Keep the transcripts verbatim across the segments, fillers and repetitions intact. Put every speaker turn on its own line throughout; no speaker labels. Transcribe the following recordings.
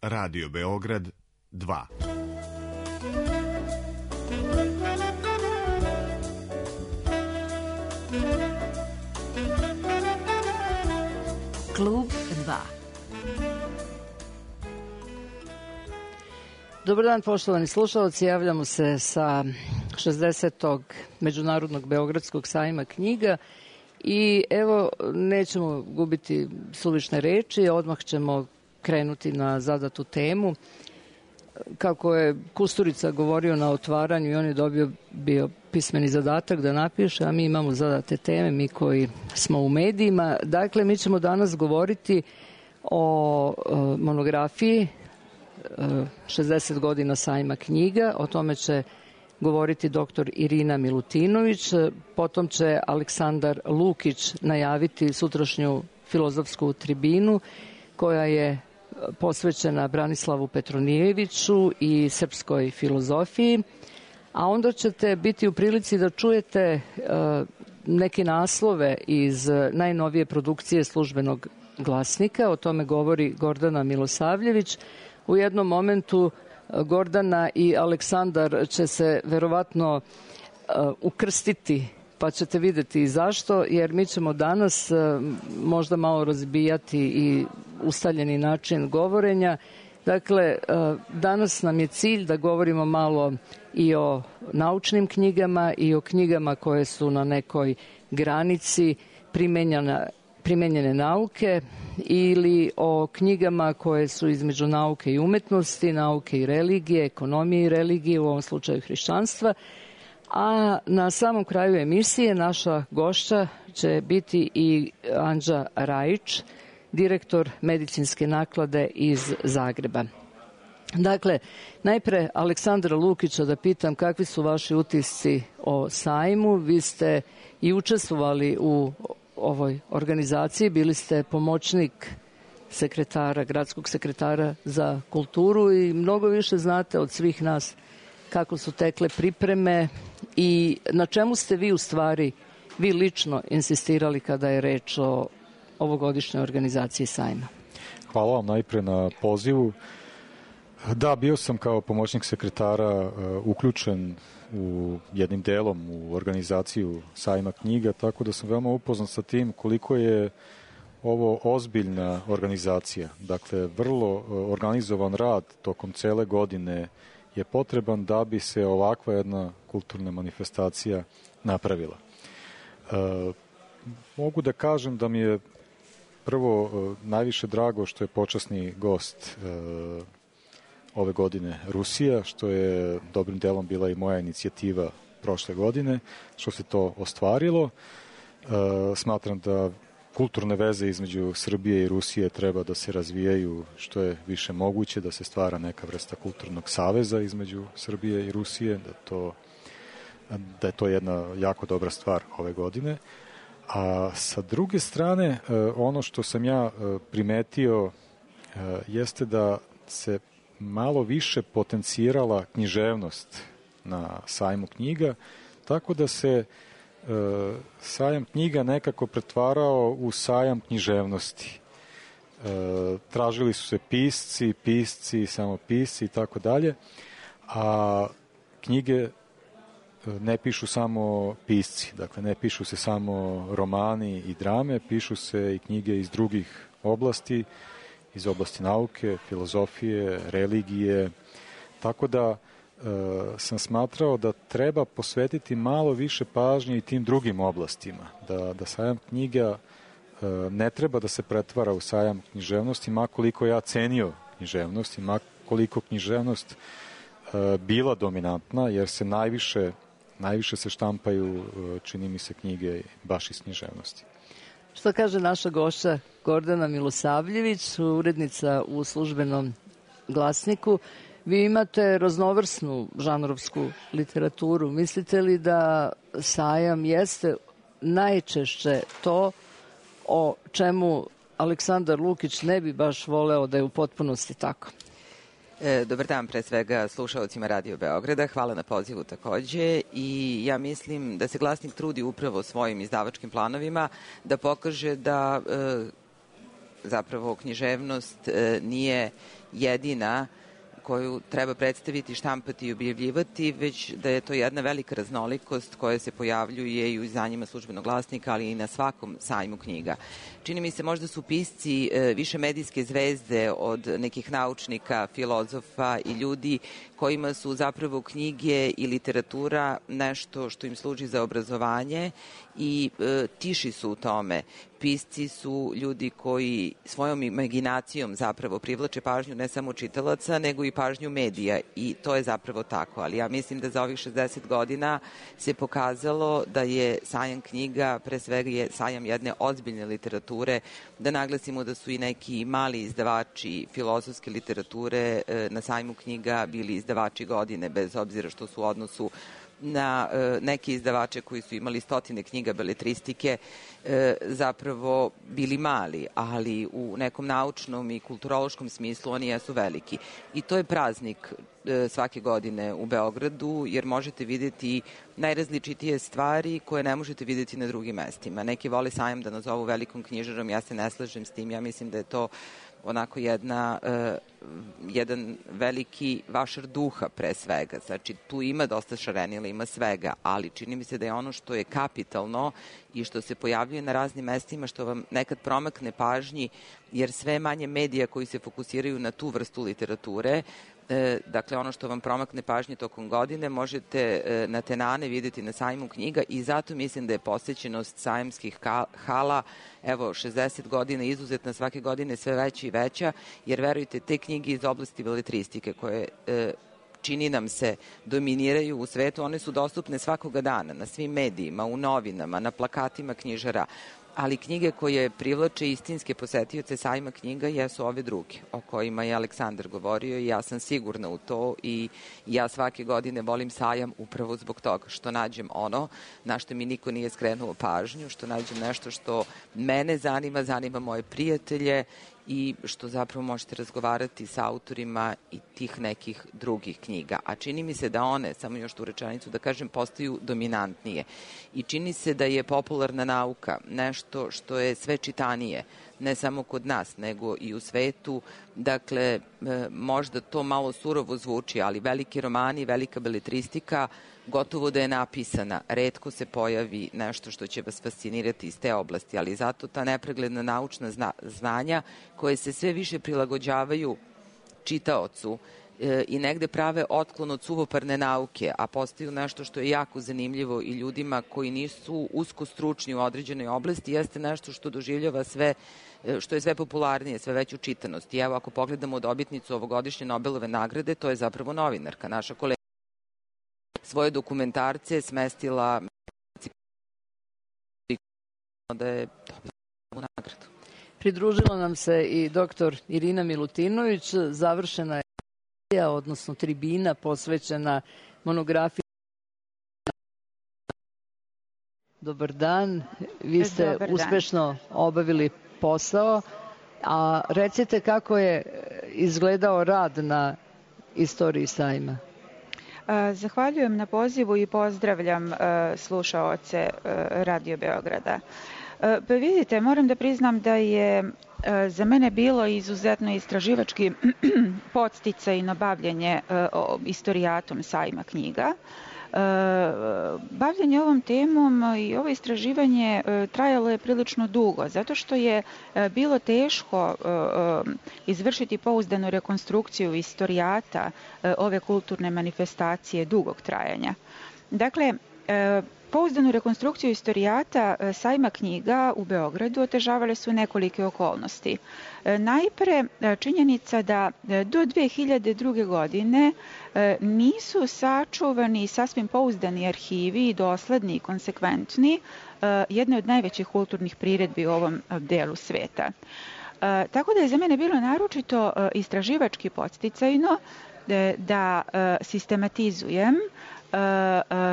Radio Beograd dva.
Klub dva.
Dobar dan, poštovani slušalci, javljamo se sa šezdesetog Međunarodnog Beogradskog sajma knjiga i evo, nećemo gubiti suvišne reči, odmah ćemo krenuti na zadatu temu. Kako je Kusturica govorio na otvaranju i on je dobio bio pismeni zadatak da napiše, a mi imamo zadate teme, mi koji smo u medijima. Dakle, mi ćemo danas govoriti o, o monografiji šezdeset godina sajma knjiga. O tome će govoriti doktor Irina Milutinović, potom će Aleksandar Lukić najaviti sutrašnju filozofsku tribinu koja je posvećena Branislavu Petronijeviću i srpskoj filozofiji, a onda ćete biti u prilici da čujete neke naslove iz najnovije produkcije Službenog glasnika. O tome govori Gordana Milosavljević. U jednom momentu Gordana i Aleksandar će se verovatno ukrstiti, pa ćete videti i zašto, jer mi ćemo danas možda malo razbijati i ustaljeni način govorenja. Dakle, danas nam je cilj da govorimo malo i o naučnim knjigama i o knjigama koje su na nekoj granici primenjena primenjene nauke ili o knjigama koje su između nauke i umetnosti, nauke i religije, ekonomije i religije, u ovom slučaju hrišćanstva. A na samom kraju emisije naša gošća će biti i Anđa Rajić, direktor medicinske naklade iz Zagreba. Dakle, najpre Aleksandra Lukića da pitam kakvi su vaši utisci o sajmu. Vi ste i učestvovali u ovoj organizaciji, bili ste pomoćnik sekretara, gradskog sekretara za kulturu i mnogo više znate od svih nas kako su tekle pripreme i na čemu ste vi u stvari, vi lično insistirali kada je reč o ovogodišnjoj organizaciji sajma.
Hvala vam najpre na pozivu. Da, bio sam kao pomoćnik sekretara uh, uključen u jednim delom u organizaciju sajma knjiga, tako da sam veoma upoznat sa tim koliko je ovo ozbiljna organizacija. Dakle, vrlo uh, organizovan rad tokom cele godine je potreban da bi se ovakva jedna kulturna manifestacija napravila. Uh, mogu da kažem da mi je prvo uh, najviše drago što je počasni gost uh, ove godine Rusija, što je dobrim delom bila i moja inicijativa prošle godine, što se to ostvarilo. E, smatram da kulturne veze između Srbije i Rusije treba da se razvijaju što je više moguće, da se stvara neka vrsta kulturnog saveza između Srbije i Rusije, da, to, da je to jedna jako dobra stvar ove godine. A sa druge strane, e, ono što sam ja e, primetio e, jeste da se malo više potencirala književnost na sajmu knjiga, tako da se e, sajam knjiga nekako pretvarao u sajam književnosti. E, tražili su se pisci, pisci, samo pisci i tako dalje, a knjige ne pišu samo pisci, dakle ne pišu se samo romani i drame, pišu se i knjige iz drugih oblasti, iz oblasti nauke, filozofije, religije, tako da e, sam smatrao da treba posvetiti malo više pažnje i tim drugim oblastima, da, da sajam knjiga e, ne treba da se pretvara u sajam književnosti, makoliko ja cenio književnost i makoliko književnost e, bila dominantna, jer se najviše, najviše se štampaju, e, čini mi se, knjige baš iz književnosti.
Što kaže naša gošća Gordana Milosavljević, urednica u Službenom glasniku? Vi imate raznovrsnu žanrovsku literaturu. Mislite li da sajam jeste najčešće to o čemu Aleksandar Lukić ne bi baš voleo da je u potpunosti tako?
E, dobar dan pre svega slušalcima Radio Beograda, hvala na pozivu takođe i ja mislim da se glasnik trudi upravo svojim izdavačkim planovima da pokaže da e, zapravo književnost e, nije jedina koju treba predstaviti, štampati i objavljivati, već da je to jedna velika raznolikost koja se pojavljuje i u izdanjima Službenog glasnika, ali i na svakom sajmu knjiga. Čini mi se možda su pisci više medijske zvezde od nekih naučnika, filozofa i ljudi kojima su zapravo knjige i literatura nešto što im služi za obrazovanje i e, tiši su u tome. Pisci su ljudi koji svojom imaginacijom zapravo privlače pažnju ne samo čitalaca, nego i pažnju medija i to je zapravo tako. Ali ja mislim da za ovih šezdeset godina se pokazalo da je sajam knjiga, pre svega je sajam jedne ozbiljne literature, da naglasimo da su i neki mali izdavači filozofske literature e, na sajmu knjiga bili izdavači godine, bez obzira što su u odnosu na e, neke izdavače koji su imali stotine knjiga beletristike e, zapravo bili mali, ali u nekom naučnom i kulturološkom smislu oni jesu veliki. I to je praznik e, svake godine u Beogradu, jer možete videti najrazličitije stvari koje ne možete videti na drugim mestima. Neki vole sajam da nazovu velikom knjižarom, ja se ne slažem s tim, ja mislim da je to onako jedna, uh, jedan veliki vašar duha pre svega. Znači, tu ima dosta šarenila, ima svega, ali čini mi se da je ono što je kapitalno i što se pojavljuje na raznim mestima, što vam nekad promakne pažnji, jer sve manje medija koji se fokusiraju na tu vrstu literature, E, dakle, ono što vam promakne pažnje tokom godine možete e, na tenane videti na sajmu knjiga i zato mislim da je posjećenost sajamskih hala, evo, šezdeset godina izuzetna, svake godine sve veća i veća, jer verujte, te knjige iz oblasti beletristike koje e, čini nam se dominiraju u svetu, one su dostupne svakoga dana na svim medijima, u novinama, na plakatima knjižara, ali knjige koje privlače istinske posetioce sajma knjiga jesu ove druge, o kojima je Aleksandar govorio i ja sam sigurna u to i ja svake godine volim sajam upravo zbog toga što nađem ono na što mi niko nije skrenuo pažnju, što nađem nešto što mene zanima, zanima moje prijatelje i što zapravo možete razgovarati sa autorima i tih nekih drugih knjiga. A čini mi se da one, samo još tu rečenicu da kažem, postaju dominantnije. I čini se da je popularna nauka nešto što je sve čitanije, ne samo kod nas, nego i u svetu. Dakle, možda to malo surovo zvuči, ali veliki romani, velika beletristika, gotovo da je napisana. Retko se pojavi nešto što će vas fascinirati iz te oblasti, ali zato ta nepregledna naučna zna, znanja koje se sve više prilagođavaju čitaocu e, i negde prave otklon od suvoparne nauke, a postaju nešto što je jako zanimljivo i ljudima koji nisu usko stručni u određenoj oblasti, jeste nešto što doživljava sve, što je sve popularnije, sve veću čitanost. I evo, ako pogledamo dobitnicu ovogodišnje Nobelove nagrade, to je zapravo novinarka, naša kolega. Svoje dokumentarce smestila da je dobila nagradu.
Pridružila nam se i doktor Irina Milutinović, završena je, odnosno tribina posvećena monografiji. Dobar dan, vi ste
Dobar dan.
Uspešno obavili posao, a recite kako je izgledao rad na istoriji sajma.
Zahvaljujem na pozivu i pozdravljam slušaoce Radio Beograda. Pa vidite, moram da priznam da je za mene bilo izuzetno istraživački podsticaj na bavljenje istorijatom sajma knjiga. Bavljenje ovom temom i ovo istraživanje trajalo je prilično dugo, zato što je bilo teško izvršiti pouzdanu rekonstrukciju istorijata ove kulturne manifestacije dugog trajanja. Dakle, pouzdanu rekonstrukciju istorijata sajma knjiga u Beogradu otežavale su nekolike okolnosti. Najpre, činjenica da do dve hiljade druge. godine nisu sačuvani sasvim pouzdani arhivi i dosledni i konsekventni jedne od najvećih kulturnih priredbi u ovom delu sveta. Tako da je za mene bilo naročito istraživački podsticajno da sistematizujem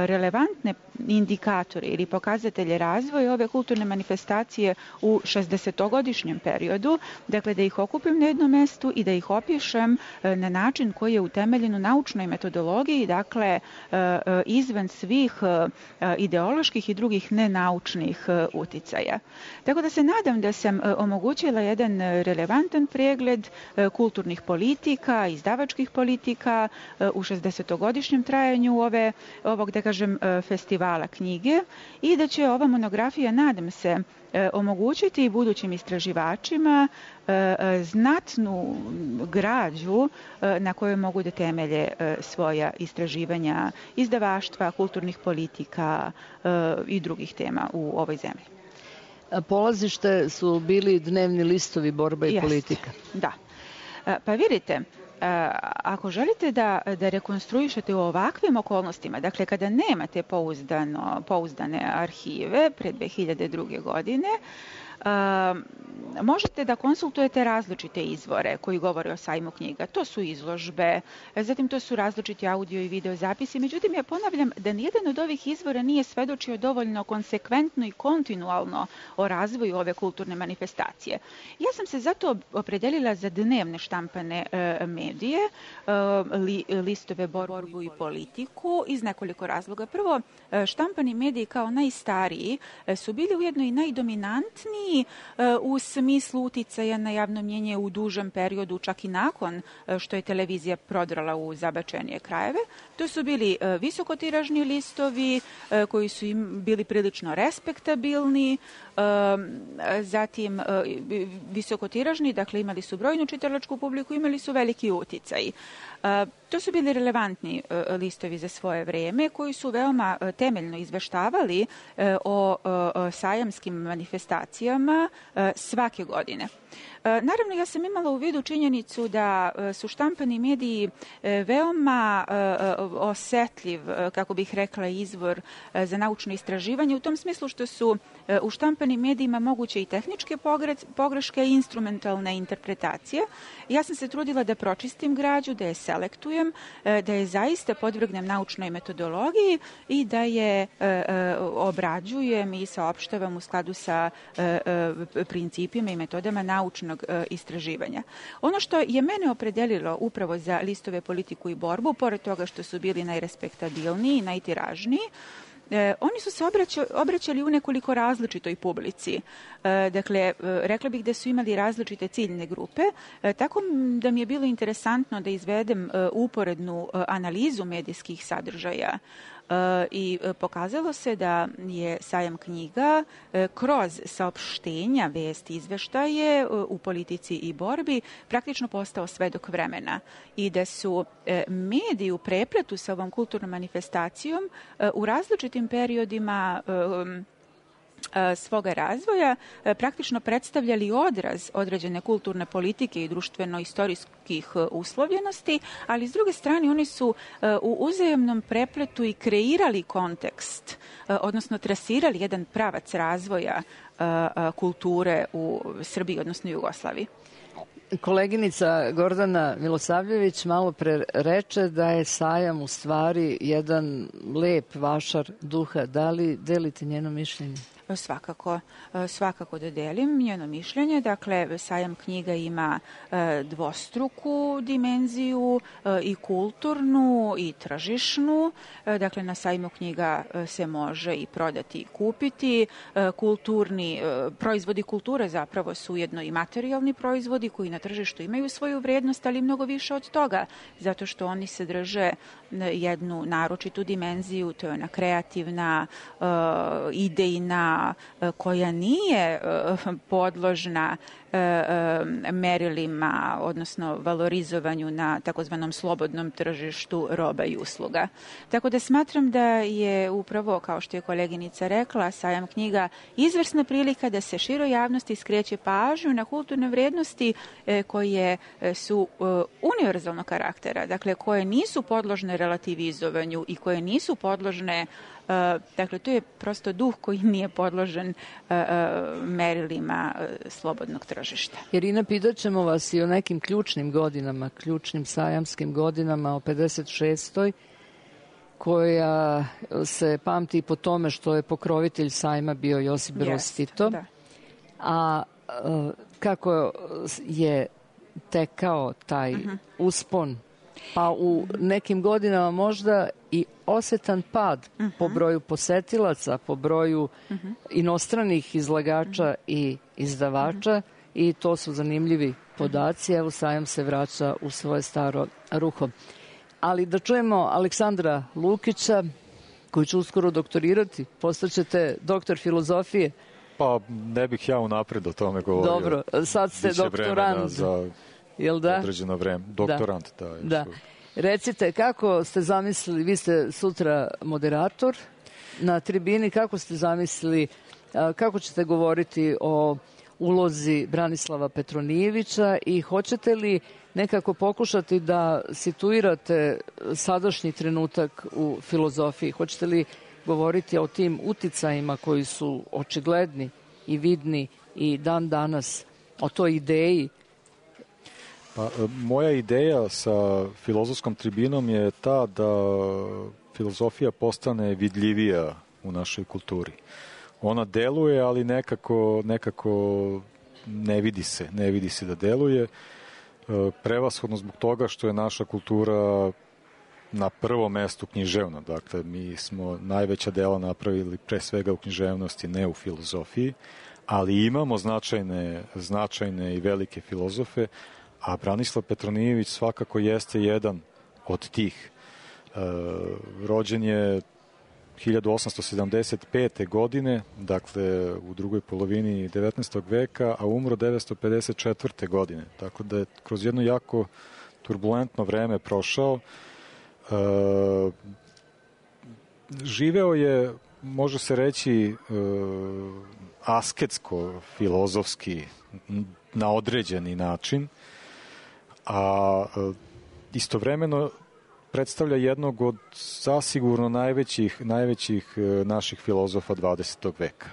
relevantne indikatore ili pokazatelje razvoja ove kulturne manifestacije u šezdesetogodišnjem periodu, dakle da ih okupim na jednom mestu i da ih opišem na način koji je utemeljen u naučnoj metodologiji, dakle izvan svih ideoloških i drugih nenaučnih uticaja. Tako da se nadam da sam omogućila jedan relevantan pregled kulturnih politika, izdavačkih politika u šezdesetogodišnjem trajanju ove, ovog, da kažem, festivala knjige i da će ova monografija, nadam se, omogućiti budućim istraživačima znatnu građu na kojoj mogu da temelje svoja istraživanja izdavaštva, kulturnih politika i drugih tema u ovoj zemlji.
Polazište su bili dnevni listovi Borba i
Jest,
politika.
Da. Pa vidite, ako želite da, da rekonstruišete u ovakvim okolnostima, dakle kada nemate pouzdano, pouzdane arhive pre dve hiljade druge. godine, možete da konsultujete različite izvore koji govore o sajmu knjiga. To su izložbe, zatim to su različiti audio i video zapisi. Međutim, ja ponavljam da nijedan od ovih izvora nije svedočio dovoljno konsekventno i kontinualno o razvoju ove kulturne manifestacije. Ja sam se zato opredelila za dnevne štampane medije, li, listove Borbu i politiku iz nekoliko razloga. Prvo, štampani mediji kao najstariji su bili ujedno i najdominantniji u smislu uticaja na javno mnjenje u dužem periodu, čak i nakon što je televizija prodrala u zabačenije krajeve. To su bili visokotiražni listovi koji su im bili prilično respektabilni, zatim visokotiražni, dakle imali su brojnu čitalačku publiku, imali su veliki uticaj. To su bili relevantni listovi za svoje vreme koji su veoma temeljno izveštavali o sajamskim manifestacijama svake godine. Naravno, ja sam imala u vidu činjenicu da su štampani mediji veoma osetljiv, kako bih rekla, izvor za naučno istraživanje, u tom smislu što su u štampanim medijima moguće i tehničke pogreške i instrumentalne interpretacije. Ja sam se trudila da pročistim građu, da je selektujem, da je zaista podvrgnem naučnoj metodologiji i da je obrađujem i saopštavam u skladu sa principima i metodama naučnog istraživanja. Ono što je mene opredelilo upravo za listove Politiku i borbu, pored toga što su bili najrespektabilniji i najtiražniji, E, oni su se obraćali, obraćali u nekoliko različitoj publici. E, dakle, rekla bih da su imali različite ciljne grupe, e, tako da mi je bilo interesantno da izvedem e, uporednu e, analizu medijskih sadržaja. I pokazalo se da je sajam knjiga kroz saopštenja, vesti, izveštaje u politici i borbi praktično postao svedok vremena i da su mediji u prepletu sa ovom kulturnom manifestacijom u različitim periodima svoga razvoja praktično predstavljali odraz određene kulturne politike i društveno-istorijskih uslovljenosti, ali s druge strane oni su u uzajemnom prepletu i kreirali kontekst, odnosno trasirali jedan pravac razvoja kulture u Srbiji, odnosno Jugoslaviji.
Koleginica Gordana Milosavljević malo pre reče da je sajam u stvari jedan lep vašar duha. Da li delite njeno mišljenje?
Svakako, svakako da delim njeno mišljenje. Dakle, sajam knjiga ima dvostruku dimenziju, i kulturnu i tržišnu. Dakle, na sajmu knjiga se može i prodati i kupiti. Kulturni proizvodi kulture zapravo su ujedno i materijalni proizvodi koji na tržištu imaju svoju vrednost, ali mnogo više od toga, zato što oni sadrže jednu naročitu dimenziju, to je ona kreativna, idejna, koja nije podložna merilima, odnosno valorizovanju na takozvanom slobodnom tržištu roba i usluga. Tako da smatram da je upravo, kao što je koleginica rekla, sajam knjiga izvrsna prilika da se široj javnosti skreće pažnju na kulturne vrednosti koje su univerzalnog karaktera, dakle koje nisu podložne relativizovanju i koje nisu podložne, dakle to je prosto duh koji nije podložen merilima slobodnog tržišta.
Irina, pitaćemo vas i o nekim ključnim godinama, ključnim sajamskim godinama, o pedeset šestoj koja se pamti po tome što je pokrovitelj sajma bio Josip Broz Tito.
Da.
A kako je tekao taj uh-huh. uspon, pa u nekim godinama možda i osetan pad uh-huh. po broju posetilaca, po broju uh-huh. inostranih izlagača uh-huh. i izdavača uh-huh. i to su zanimljivi podaci. Evo, sajam se vraća u svoje staro ruho. Ali da čujemo Aleksandra Lukića, koji će uskoro doktorirati. Postaćete doktor filozofije.
Pa ne bih ja unapred o tome govorio.
Dobro, sad ste
Biće
doktorant.
Za
jel da?
određeno vreme. Doktorant, da.
da. da. Recite, kako ste zamislili, vi ste sutra moderator na tribini, kako ste zamislili, kako ćete govoriti o ulozi Branislava Petronijevića i hoćete li nekako pokušati da situirate sadašnji trenutak u filozofiji? Hoćete li govoriti o tim uticajima koji su očigledni i vidni i dan danas, o toj ideji?
Pa, moja ideja sa filozofskom tribinom je ta da filozofija postane vidljivija u našoj kulturi. Ona deluje, ali nekako, nekako ne vidi se, ne vidi se da deluje. Prevashodno zbog toga što je naša kultura na prvom mestu književna. Dakle, mi smo najveća dela napravili pre svega u književnosti, ne u filozofiji, ali imamo značajne, značajne i velike filozofe, a Branislav Petronijević svakako jeste jedan od tih. E, rođen je hiljadu osamsto sedamdeset pete. godine, dakle u drugoj polovini devetnaestog veka, a umro devetsto pedeset četvrte. godine. Tako da je kroz jedno jako turbulentno vreme prošao. E, živeo je, može se reći, e, asketsko, filozofski, na određeni način, a e, istovremeno predstavlja jednog od zasigurno najvećih, najvećih naših filozofa dvadesetog veka.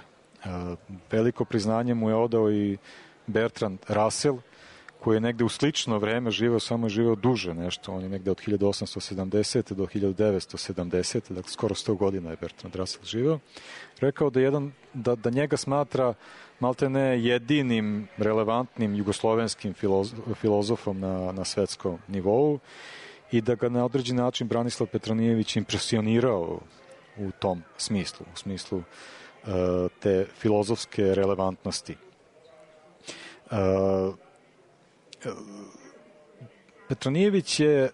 Veliko priznanje mu je odao i Bertrand Russell, koji je negde u slično vreme živeo, samo je živeo duže nešto. On je negde od hiljadu osamsto sedamdesete. do hiljadu devetsto sedamdesete. Dakle, skoro sto godina je Bertrand Russell živeo. Rekao da, jedan, da, da njega smatra maltene jedinim relevantnim jugoslovenskim filozofom na, na svetskom nivou i da ga na određen način Branislav Petronijević impresionirao u tom smislu, u smislu uh, te filozofske relevantnosti. Uh, Petronijević je uh,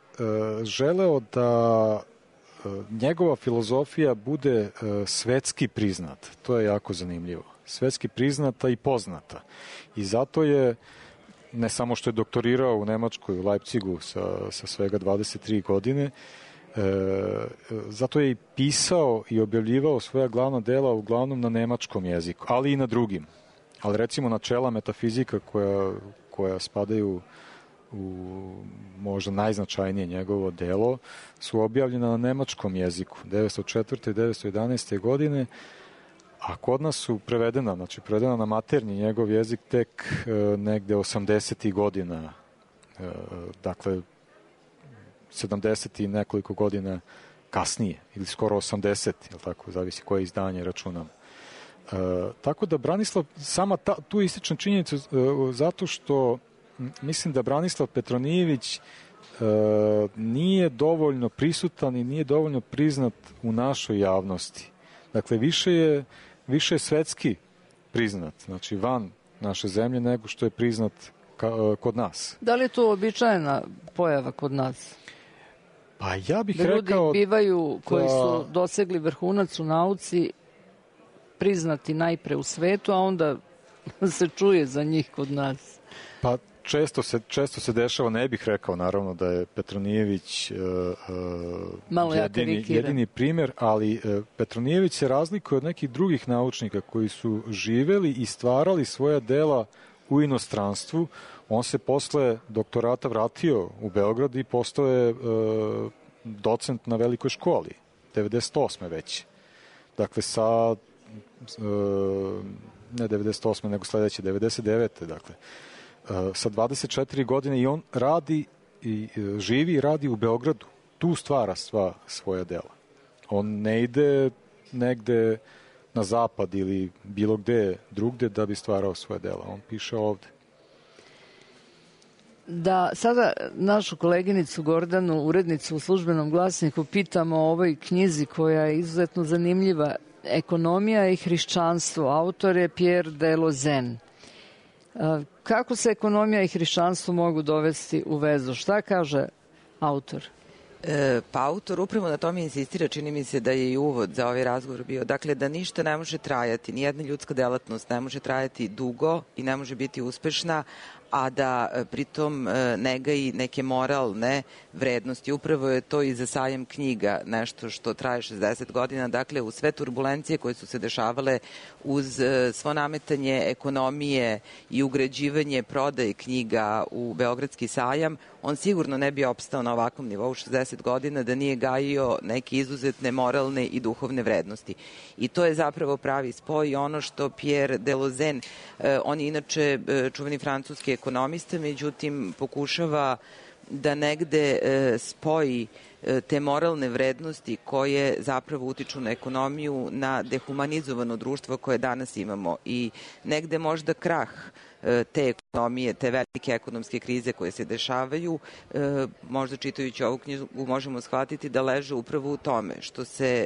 želeo da uh, njegova filozofija bude uh, svetski priznat. To je jako zanimljivo. Svetski priznata i poznata. I zato je, ne samo što je doktorirao u Nemačkoj, u Leipzigu sa, sa svega dvadeset tri godine, e, zato je i pisao i objavljivao svoja glavna dela uglavnom na nemačkom jeziku, ali i na drugim. Ali recimo načela metafizika koja, koja spadaju u možda najznačajnije njegovo delo su objavljena na nemačkom jeziku devetsto četvrte. i devetsto jedanaeste. godine, a kod nas su prevedena, znači prevedena na maternji njegov jezik tek e, negde osamdesetih godina, e, dakle sedamdeset i nekoliko godina kasnije, ili skoro osamdeset, jel tako, zavisi koje izdanje računam. E, tako da Branislav, sama ta, tu ističem činjenicu e, zato što mislim da Branislav Petronijević e, nije dovoljno prisutan i nije dovoljno priznat u našoj javnosti. Dakle, više je više je svetski priznat, znači van naše zemlje, nego što je priznat ka, kod nas.
Da li je to običajna pojava kod nas?
Pa ja bih
da
rekao...
Da ljudi bivaju, koji da... su dosegli vrhunac u nauci, priznati najpre u svetu, a onda se čuje za njih kod nas.
Pa često se, često se dešava, ne bih rekao naravno da je Petronijević uh, uh, jedini, jedini primjer, ali uh, Petronijević se razlikuje od nekih drugih naučnika koji su živeli i stvarali svoja dela u inostranstvu. On se posle doktorata vratio u Beograd i postao je uh, docent na velikoj školi, devedeset osme već. Dakle, sa uh, ne devedeset osme nego sledeće, devedeset devete dakle. Sa dvadeset četiri godine i on radi i živi i radi u Beogradu. Tu stvara sva svoja dela. On ne ide negde na zapad ili bilo gde drugde da bi stvarao svoje dela. On piše ovde.
Da sada našu koleginicu Gordanu, urednicu u Službenom glasniku, pitamo o ovoj knjizi koja je izuzetno zanimljiva, Ekonomija i hrišćanstvo. Autor je Pierre Delozen. Kako se ekonomija i hrišćanstvo mogu dovesti u vezu? Šta kaže autor?
E, pa autor upravo na tome insistira, čini mi se da je i uvod za ovaj razgovor bio. Dakle, da ništa ne može trajati, nijedna ljudska delatnost ne može trajati dugo i ne može biti uspešna, a da pritom ne gaji neke moralne vrednosti. Upravo je to i za sajam knjiga nešto što traje šezdeset godina. Dakle, u sve turbulencije koje su se dešavale uz svo nametanje ekonomije i ugrađivanje prodaje knjiga u Beogradski sajam, on sigurno ne bi opstao na ovakvom nivou šezdeset godina da nije gajio neke izuzetne moralne i duhovne vrednosti. I to je zapravo pravi spoj i ono što Pierre Delozen, on je inače čuveni francuski ekonomista, međutim pokušava da negde spoji te moralne vrednosti koje zapravo utiču na ekonomiju, na dehumanizovano društvo koje danas imamo i negde možda krah te ekonomije, te velike ekonomske krize koje se dešavaju, možda čitajući ovu knjigu možemo shvatiti da leže upravo u tome što se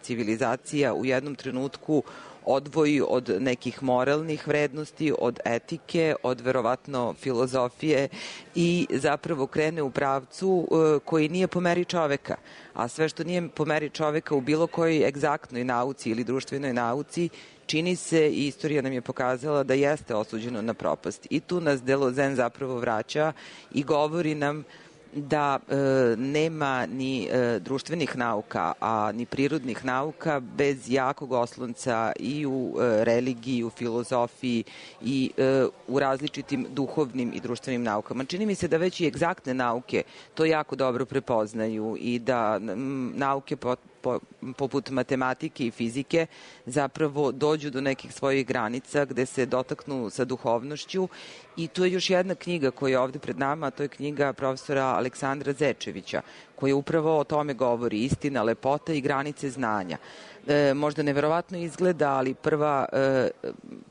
civilizacija u jednom trenutku odvoji od nekih moralnih vrednosti, od etike, od verovatno filozofije i zapravo krene u pravcu koji nije po meri čoveka. A sve što nije po meri čoveka u bilo kojoj egzaktnoj nauci ili društvenoj nauci, čini se i istorija nam je pokazala da jeste osuđeno na propast. I tu nas Delozen zapravo vraća i govori nam da e, nema ni e, društvenih nauka, a ni prirodnih nauka bez jakog oslonca i u e, religiji, u filozofiji i e, u različitim duhovnim i društvenim naukama. Čini mi se da već i egzaktne nauke to jako dobro prepoznaju i da m, nauke po, po, poput matematike i fizike zapravo dođu do nekih svojih granica gde se dotaknu sa duhovnošću. I tu je još jedna knjiga koja je ovde pred nama, a to je knjiga profesora Aleksandra Zečevića, koja upravo o tome govori, istina, lepota i granice znanja. E, možda neverovatno izgleda, ali prva, e,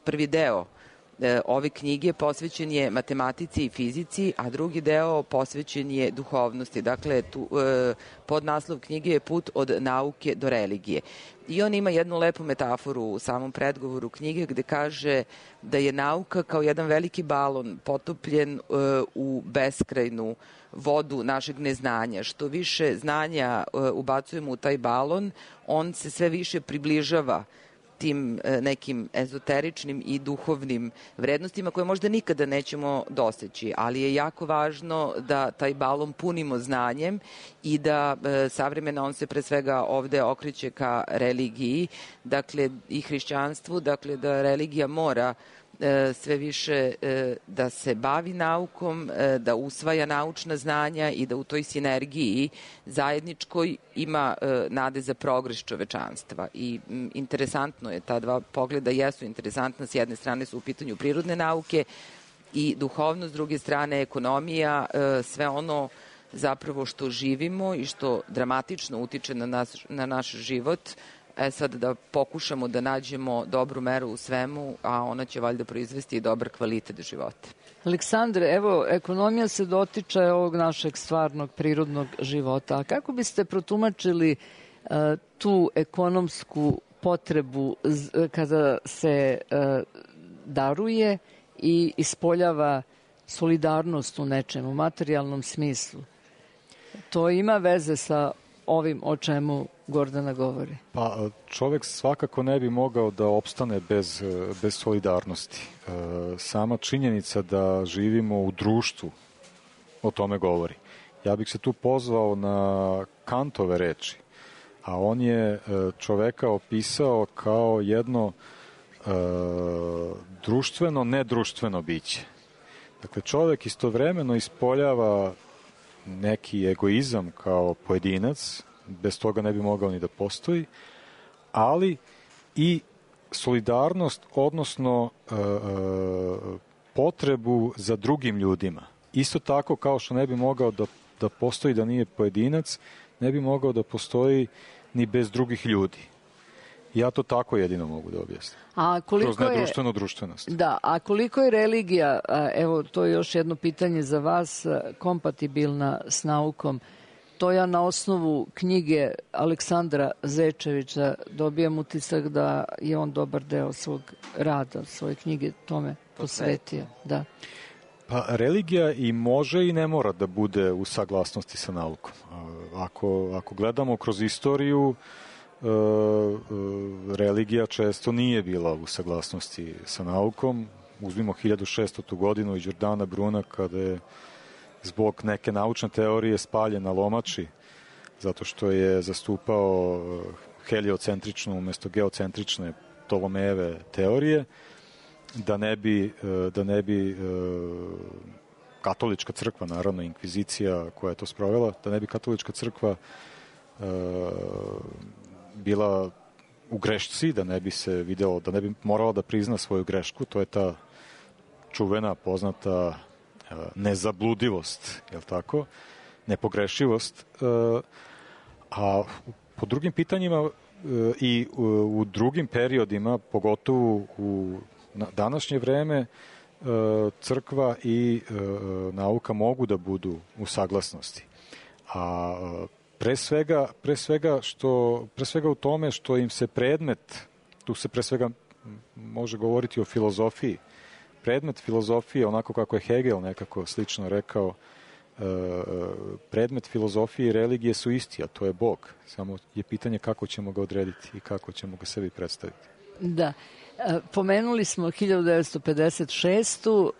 prvi deo e, ove knjige posvećen je matematici i fizici, a drugi deo posvećen je duhovnosti. Dakle, tu, e, podnaslov knjige je Put od nauke do religije. I on ima jednu lepu metaforu u samom predgovoru knjige gde kaže da je nauka kao jedan veliki balon potopljen uh, u beskrajnu vodu našeg neznanja. Što više znanja uh, ubacujemo u taj balon, on se sve više približava tim nekim ezoteričnim i duhovnim vrednostima koje možda nikada nećemo doseći, ali je jako važno da taj balon punimo znanjem i da e, savremena on se pre svega ovde okreće ka religiji, dakle i hrišćanstvu, dakle da religija mora sve više da se bavi naukom, da usvaja naučna znanja i da u toj sinergiji zajedničkoj ima nade za progres čovečanstva. I interesantno je, ta dva pogleda jesu interesantna, s jedne strane su u pitanju prirodne nauke i duhovno, s druge strane ekonomija, sve ono zapravo što živimo i što dramatično utiče na, nas, na naš život. E sad da pokušamo da nađemo dobru meru u svemu, a ona će valjda proizvesti i dobar kvalitet života.
Aleksandre, evo, ekonomija se dotiče ovog našeg stvarnog prirodnog života. A kako biste protumačili uh, tu ekonomsku potrebu z, kada se uh, daruje i ispoljava solidarnost u nečemu, u materijalnom smislu? To ima veze sa ovim o čemu Gordana govori.
Pa čovjek svakako ne bi mogao da opstane bez, bez solidarnosti. E, sama činjenica da živimo u društvu o tome govori. Ja bih se tu pozvao na Kantove reči, a on je čoveka opisao kao jedno e, društveno, nedruštveno biće. Dakle, čovjek istovremeno ispoljava neki egoizam kao pojedinac, bez toga ne bi mogao ni da postoji, ali i solidarnost, odnosno e, e, potrebu za drugim ljudima. Isto tako kao što ne bi mogao da, da postoji da nije pojedinac, ne bi mogao da postoji ni bez drugih ljudi. Ja to tako jedino mogu da objasnim.
A koliko
Kroz nedruštvenu
je,
društvenost.
Da, a koliko je religija, evo to je još jedno pitanje za vas, kompatibilna s naukom? To ja na osnovu knjige Aleksandra Zečevića dobijam utisak da je on dobar deo svog rada, svoje knjige tome posvetio. Da.
Pa religija i može i ne mora da bude u saglasnosti sa naukom. Ako, ako gledamo kroz istoriju, e, e, religija često nije bila u saglasnosti sa naukom. Uzmimo hiljadu šestotu godinu i Đordana Bruna kada je zbog neke naučne teorije spaljen na lomači, zato što je zastupao heliocentričnu umjesto geocentrične Ptolomejeve teorije, da ne bi, da ne bi katolička crkva, naravno inkvizicija koja je to sprovela, da ne bi katolička crkva bila u grešci, da ne bi se vidjelo, da ne bi morala da prizna svoju grešku, to je ta čuvena, poznata nezabludivost, je li tako? Nepogrešivost. A po drugim pitanjima i u drugim periodima, pogotovo u današnje vreme, crkva i nauka mogu da budu u saglasnosti. A pre svega, pre svega, što, pre svega u tome što im se predmet, tu se pre svega može govoriti o filozofiji, predmet filozofije, onako kako je Hegel nekako slično rekao, predmet filozofije i religije su isti, a to je Bog. Samo je pitanje kako ćemo ga odrediti i kako ćemo ga sebi predstaviti.
Da. Pomenuli smo hiljadu devetsto pedeset šestu.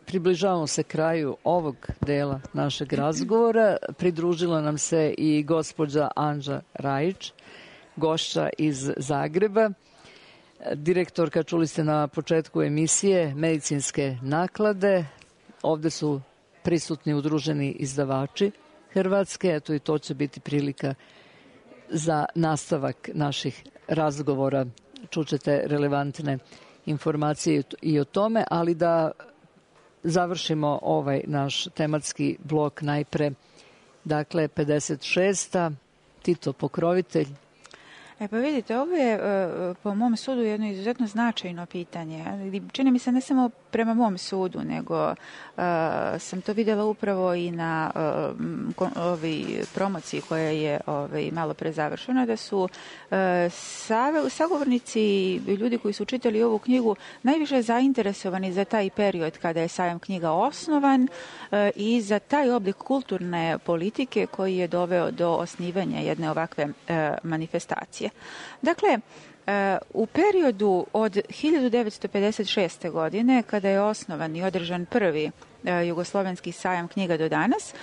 Približavamo se kraju ovog dela našeg razgovora. Pridružila nam se i gospođa Anđa Rajić, gošća iz Zagreba. Direktorka, čuli ste na početku emisije, medicinske naklade. Ovde su prisutni udruženi izdavači Hrvatske, eto i to će biti prilika za nastavak naših razgovora. Čućete relevantne informacije i o tome, ali da završimo ovaj naš tematski blok najpre. Dakle, pedeset šesta. Tito Pokrovitelj.
E pa vidite, ovo je po mom sudu jedno izuzetno značajno pitanje. Čini mi se ne samo prema mom sudu, nego uh, sam to vidjela upravo i na uh, ovi promociji koja je ovaj, malo pre završena, da su uh, save, sagovornici i ljudi koji su čitali ovu knjigu najviše zainteresovani za taj period kada je sajam knjiga osnovan uh, i za taj oblik kulturne politike koji je doveo do osnivanja jedne ovakve uh, manifestacije. Dakle, u periodu od hiljadu devetsto pedeset šeste. godine, kada je osnovan i održan prvi Jugoslovenski sajam knjiga do danas,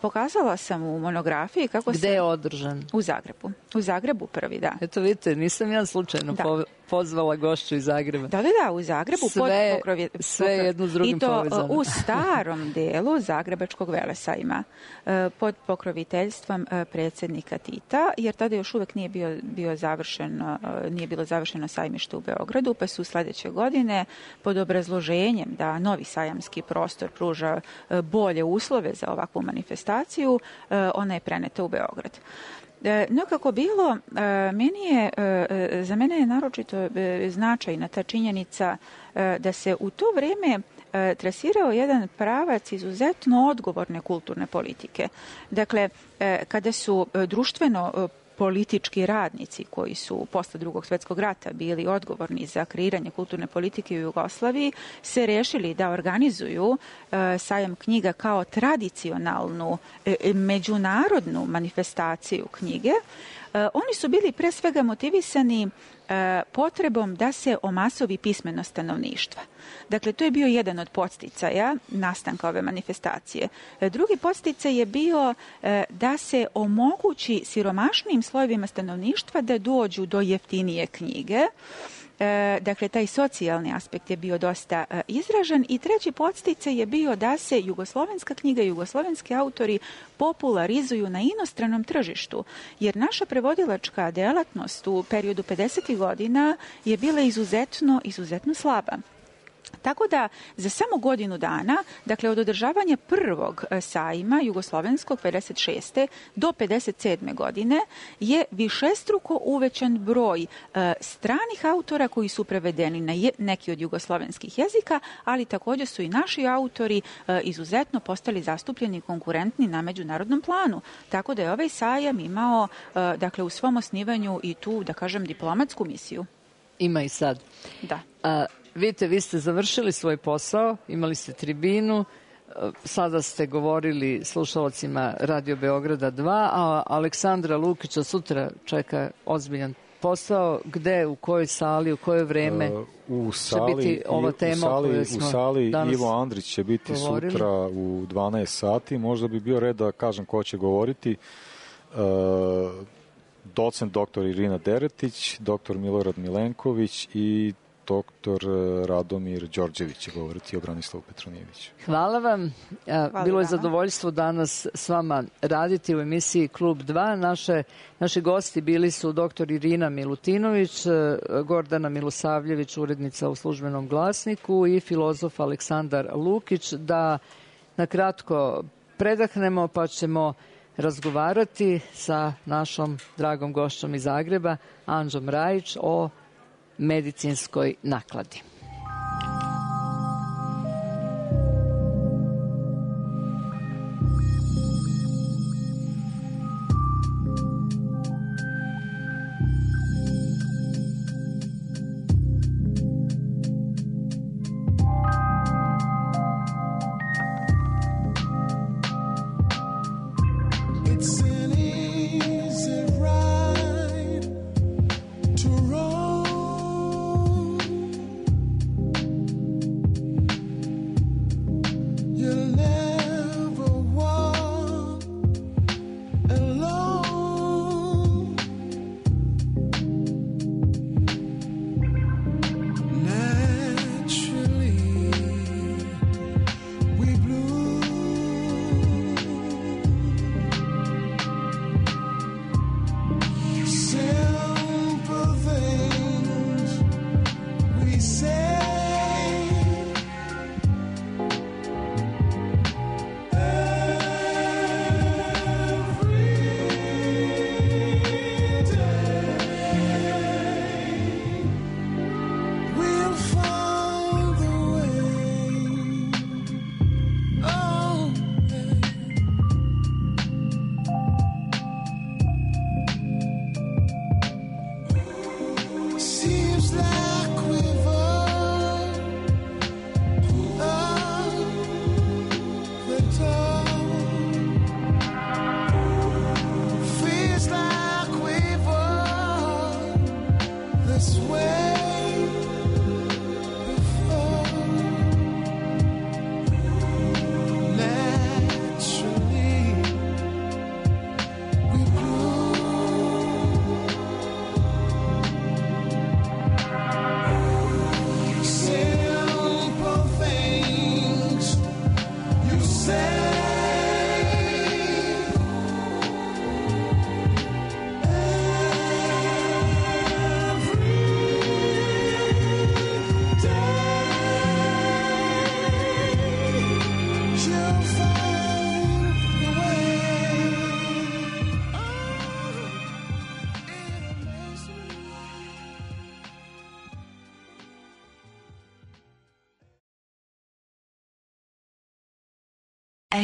pokazala sam u monografiji kako
Gde
sam...
je održan?
U Zagrebu. U Zagrebu prvi, da.
Eto vidite, nisam ja slučajno da. pozvala gošću iz Zagreba.
Da, da, da, u Zagrebu.
Sve,
pod pokrovje,
sve jedno s drugim povezano.
I to povezano. U starom delu Zagrebačkog velesajma pod pokroviteljstvom predsjednika Tita, jer tada još uvek nije bio, bio završeno, nije bilo završeno sajmište u Beogradu, pa su sledeće godine pod obrazloženjem da novi sajamski prostor pruža bolje uslove za ovakvu manifestaciju, ona je preneta u Beograd. No kako bilo, meni je, za mene je naročito značajna ta činjenica da se u to vreme trasirao jedan pravac izuzetno odgovorne kulturne politike. Dakle, kada su društveno politički radnici koji su posle Drugog svjetskog rata bili odgovorni za kreiranje kulturne politike u Jugoslaviji se rešili da organizuju e, sajam knjiga kao tradicionalnu e, međunarodnu manifestaciju knjige. E, oni su bili pre svega motivisani e, potrebom da se omasovi pismenost stanovništva. Dakle, to je bio jedan od podsticaja nastanka ove manifestacije. Drugi podsticaj je bio e, da se omogući siromašnim slojevima stanovništva da dođu do jeftinije knjige. E, dakle, taj socijalni aspekt je bio dosta e, izražen i treći podsticaj je bio da se jugoslovenska knjiga i jugoslovenski autori popularizuju na inostranom tržištu, jer naša prevodilačka delatnost u periodu pedesetih godina je bila izuzetno, izuzetno slaba. Tako da za samo godinu dana, dakle od održavanja prvog sajma jugoslovenskog pedeset šeste do pedeset sedme godine je višestruko uvećan broj e, stranih autora koji su prevedeni na je, neki od jugoslovenskih jezika, ali također su i naši autori e, izuzetno postali zastupljeni i konkurentni na međunarodnom planu. Tako da je ovaj sajam imao e, dakle u svom osnivanju i tu, da kažem, diplomatsku misiju.
Ima i sad.
Da.
A, vidite, vi ste završili svoj posao, imali ste tribinu, sada ste govorili slušalcima Radio Beograda dva, a Aleksandra Lukića sutra čeka ozbiljan posao. Gde, u kojoj sali, u koje vreme
u sali,
će biti ova tema
u sali,
koju smo
u sali
danas
Ivo Andrić će biti
govorili.
Sutra u dvanaest sati. Možda bi bio red da kažem ko će govoriti. Uh, docent doktor Irina Deretić, doktor Milorad Milenković i doktor Radomir Đorđević će govoriti o Branislavu Petronijeviću.
Hvala vam.
Hvala
Bilo je
vama.
zadovoljstvo danas s vama raditi u emisiji Klub dva. Naše, naši gosti bili su doktor Irina Milutinović, Gordana Milosavljević, urednica u Službenom glasniku i filozof Aleksandar Lukić. Da na kratko predahnemo pa ćemo razgovarati sa našom dragom gošćom iz Zagreba, Anđom Rajić, o medicinskoj nakladi.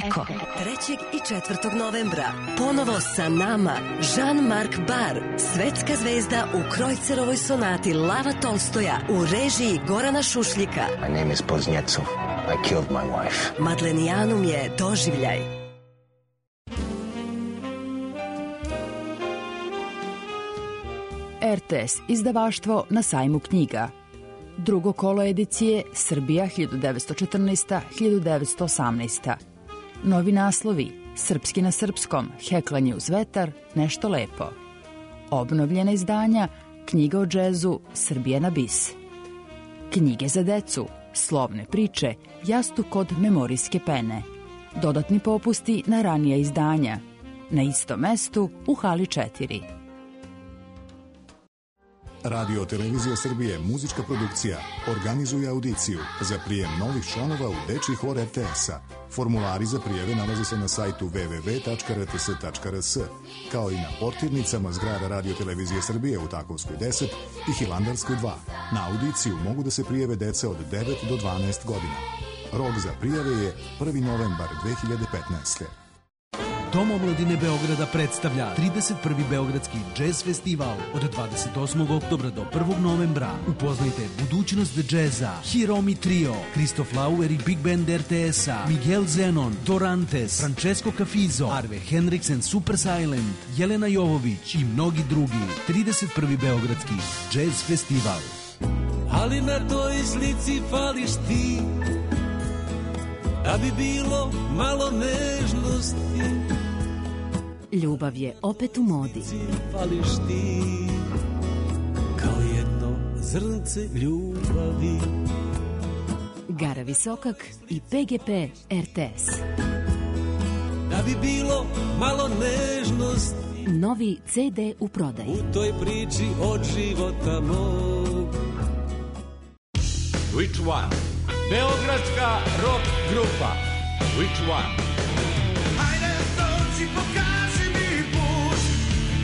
Eko. trećeg i četvrtog novembra ponovo sa nama Jean-Marc Bar, svetska zvezda u Krojcerovoj sonati Lava Tolstoja u režiji Gorana Šušljika.
My name is Poznjecov. I killed my wife.
Madlenijanum je doživljaj.
er te es izdavaštvo na sajmu knjiga. Drugo kolo edicije Srbija hiljadu devetsto četrnaesta do hiljadu devetsto osamnaesta. Novi naslovi Srpski na srpskom, Heklanje uz vetar, Nešto lepo. Obnovljena izdanja Knjiga o džezu, Srbija na bis. Knjige za decu, Slovne priče, Jastuk od memorijske pene. Dodatni popusti na ranija izdanja. Na istom mestu u hali četiri.
Radio Televizija Srbije, muzička produkcija, organizuje audiciju za prijem novih članova u dečiji hor er te es-a. Formulari za prijeve nalaze se na sajtu w w w tačka r t s tačka r s, kao i na portirnicama zgrada Radio Televizije Srbije u Takovskoj deset i Hilandarskoj dva. Na audiciju mogu da se prijeve deca od devet do dvanaest godina. Rok za prijave je prvi novembar dve hiljade petnaeste.
Dom omladine Beograda predstavlja trideset prvi Beogradski džez festival od dvadeset osmog oktobra do prvog novembra. Upoznajte budućnost džeza, Hiromi Trio, Kristof Lauer i Big Band er te es-a, Miguel Zenon, Dorantes, Francesco Cafizo, Arve Henriksen, Super Silent, Jelena Jovović i mnogi drugi. trideset prvi Beogradski džez festival.
Ali na toj slici fališ ti, da bi bilo malo nežnosti.
Ljubav je opet u modi.
Fališ ti, kao jedno zrnce ljubavi.
Gara Visokak i pe ge pe er te es.
Da bi bilo malo nežnosti.
Novi ce de u prodaji.
U toj priči od života mog.
Which one? Beogradska rock grupa. Which one?
Hajde dođi, pokaži mi put,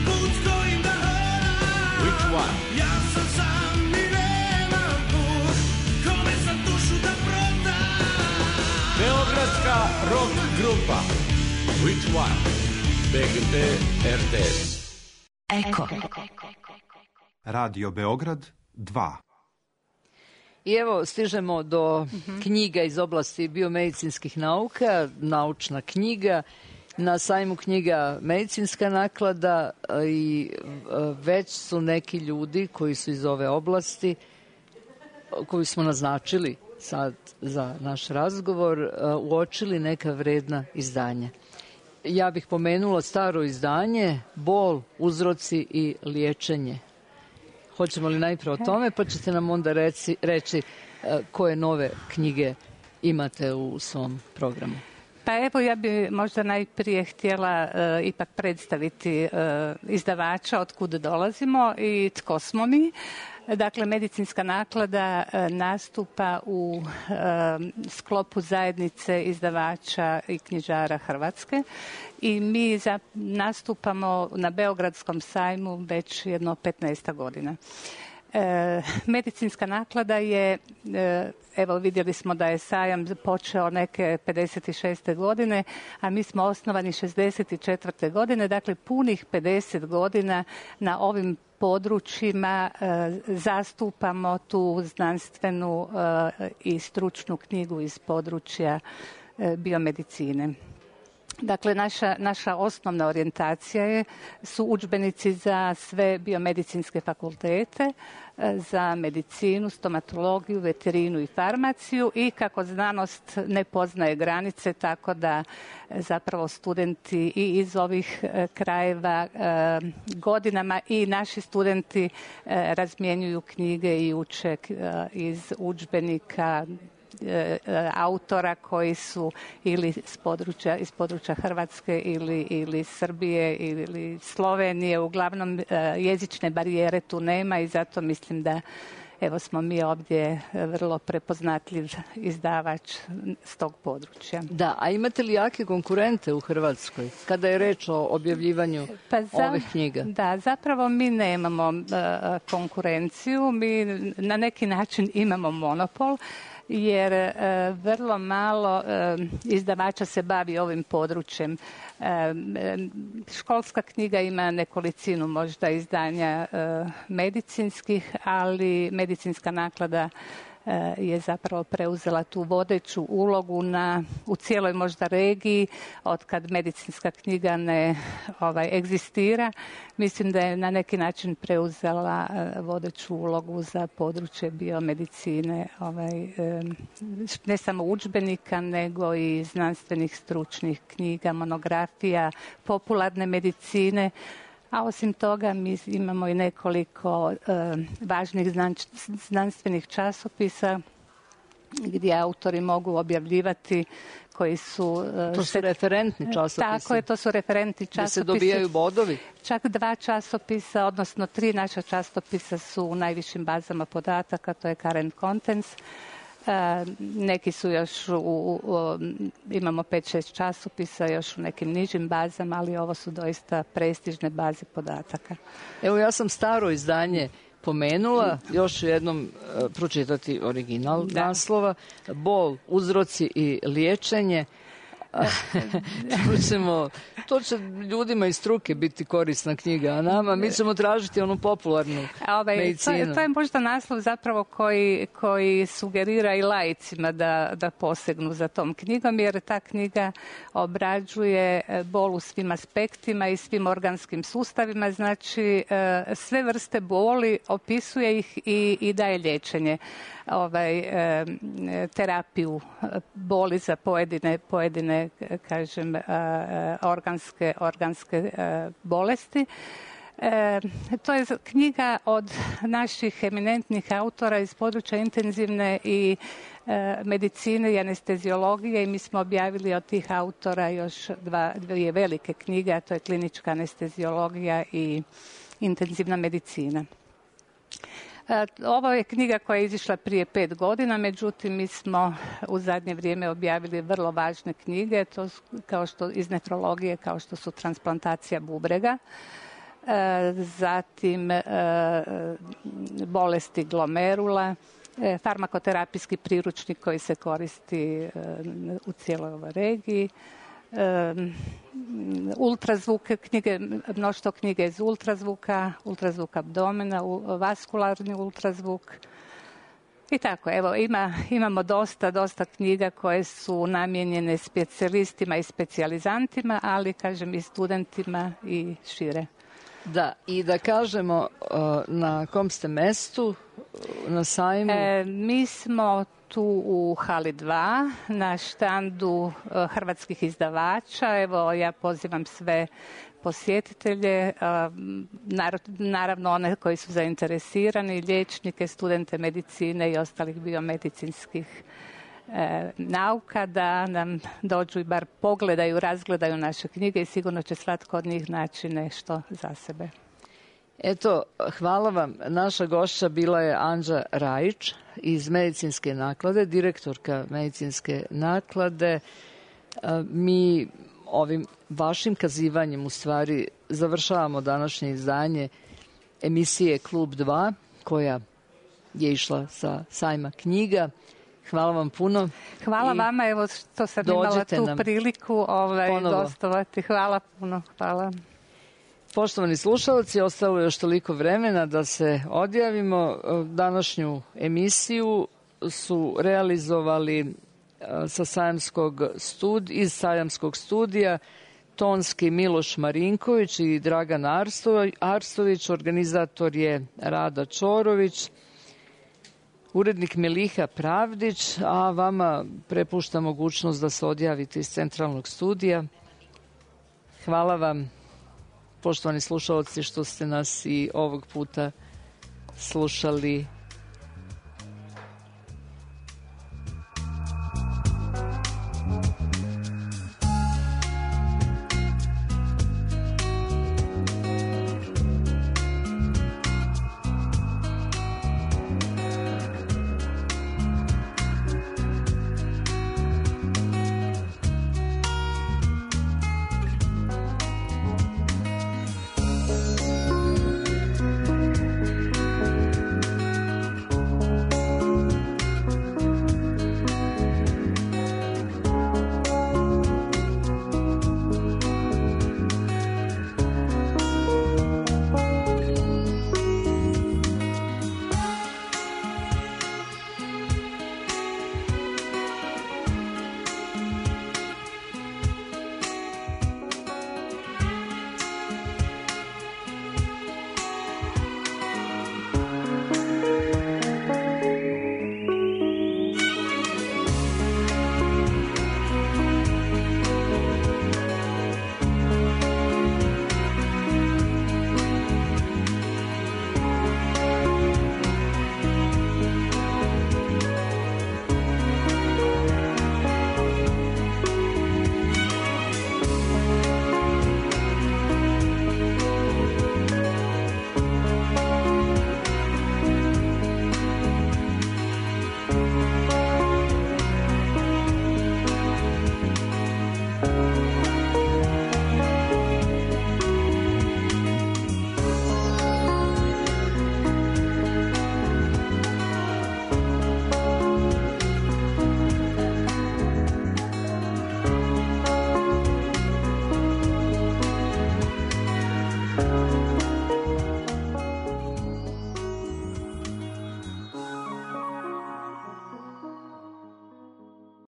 put kojim da hodam.
Which one?
Ja sam sam i nemam put, kome sam dušu da prodam.
Beogradska rock grupa. Which one? be ge pe er te es.
Eko.
Radio Beograd dva.
I evo, stižemo do uh-huh. knjiga iz oblasti biomedicinskih nauka, naučna knjiga, na sajmu knjiga Medicinska naklada i već su neki ljudi koji su iz ove oblasti, koju smo naznačili sad za naš razgovor, uočili neka vredna izdanja. Ja bih pomenula staro izdanje Bol, uzroci i liječenje. Hoćemo li najprije o tome, pa ćete nam onda reci, reći koje nove knjige imate u svom programu.
Pa evo, ja bi možda najprije htjela uh, ipak predstaviti uh, izdavača, od kud dolazimo i tko smo mi. Dakle, Medicinska naklada uh, nastupa u uh, sklopu zajednice izdavača i knjižara Hrvatske i mi za, nastupamo na Beogradskom sajmu već jedno petnaest godina. E, Medicinska naklada je, e, evo vidjeli smo da je sajam počeo neke pedeset šeste godine, a mi smo osnovani šezdeset četvrte godine, dakle punih pedeset godina na ovim područjima e, zastupamo tu znanstvenu e, i stručnu knjigu iz područja e, biomedicine. Dakle, naša, naša osnovna orijentacija je, su udžbenici za sve biomedicinske fakultete, za medicinu, stomatologiju, veterinu i farmaciju i kako znanost ne poznaje granice, tako da zapravo studenti i iz ovih krajeva godinama i naši studenti razmjenjuju knjige i uče iz udžbenika autora koji su ili iz područja, iz područja Hrvatske ili, ili Srbije ili Slovenije. Uglavnom jezične barijere tu nema i zato mislim da evo smo mi ovdje vrlo prepoznatljiv izdavač s tog područja.
Da, a imate li jake konkurente u Hrvatskoj kada je reč o objavljivanju
pa za,
ovih knjiga?
Da, zapravo mi nemamo uh, konkurenciju, mi na neki način imamo monopol, jer e, vrlo malo e, izdavača se bavi ovim područjem. E, školska knjiga ima nekolicinu možda izdanja e, medicinskih, ali Medicinska naklada e, je zapravo preuzela tu vodeću ulogu na, u cijeloj možda regiji, od kad medicinska knjiga ne ovaj, egzistira. Mislim da je na neki način preuzela e, vodeću ulogu za područje biomedicine, ovaj, e, ne samo udžbenika, nego i znanstvenih stručnih knjiga, monografija, popularne medicine. A osim toga mi imamo i nekoliko e, važnih znanstvenih časopisa gdje autori mogu objavljivati koji su...
To su referentni časopisi.
Tako je, to su referentni časopisi.
Gdje se dobijaju bodovi?
Čak dva časopisa, odnosno tri naša časopisa su u najvišim bazama podataka, to je Current Contents. Neki su još, u, u, imamo pet šest časopisa još u nekim nižim bazama, ali ovo su doista prestižne baze podataka.
Evo, ja sam staro izdanje pomenula, još jednom uh, pročitati original da. naslova. Bol, uzroci i liječenje. Čućemo, to će ljudima iz struke biti korisna knjiga, a nama mi ćemo tražiti onu popularnu
Ove,
medicinu.
To, to je možda naslov zapravo koji, koji sugerira i laicima da, da posegnu za tom knjigom, jer ta knjiga obrađuje bol u svim aspektima i svim organskim sustavima, znači sve vrste boli, opisuje ih i, i daje liječenje. Ovaj, e, terapiju boli za pojedine, pojedine kažem, e, organske, organske e, bolesti. E, to je knjiga od naših eminentnih autora iz područja intenzivne i e, medicine i anesteziologije i mi smo objavili od tih autora još dva, dvije velike knjige, a to je klinička anesteziologija i intenzivna medicina. Ovo je knjiga koja je izišla prije pet godina, međutim mi smo u zadnje vrijeme objavili vrlo važne knjige, to kao što iz nefrologije, kao što su transplantacija bubrega, zatim bolesti glomerula, farmakoterapijski priručnik koji se koristi u cijeloj ovoj regiji, Um, ultrazvuk knjige, mnoštvo knjige iz ultrazvuka, ultrazvuk abdomena, vaskularni ultrazvuk i tako. Evo, ima, imamo dosta, dosta knjiga koje su namijenjene specijalistima i specijalizantima, ali kažem i studentima i šire.
Da, i da kažemo na kom ste mestu na sajmu?
E, mi smo tu u hali dva na štandu hrvatskih izdavača. Evo, ja pozivam sve posjetitelje, naravno one koji su zainteresirani, liječnike, studente medicine i ostalih biomedicinskih e, nauka, da nam dođu i bar pogledaju, razgledaju naše knjige i sigurno će svatko od njih naći nešto za sebe.
Eto, hvala vam. Naša gošća bila je Anđa Rajić iz Medicinske naklade, direktorka Medicinske naklade. Mi ovim vašim kazivanjem u stvari završavamo današnje izdanje emisije Klub dva, koja je išla sa sajma knjiga. Hvala vam puno.
Hvala I vama, evo što sam imala tu priliku ovaj, gostovati. Hvala puno, hvala.
Poštovani slušalci, ostalo je još toliko vremena da se odjavimo. Današnju emisiju su realizovali sa sajamskog stud, iz sajamskog studija tonski Miloš Marinković i Dragan Arstović, organizator je Rada Čorović, urednik Meliha Pravdić, a vama prepušta mogućnost da se odjavite iz centralnog studija. Hvala vam, poštovani slušalci, što ste nas i ovog puta slušali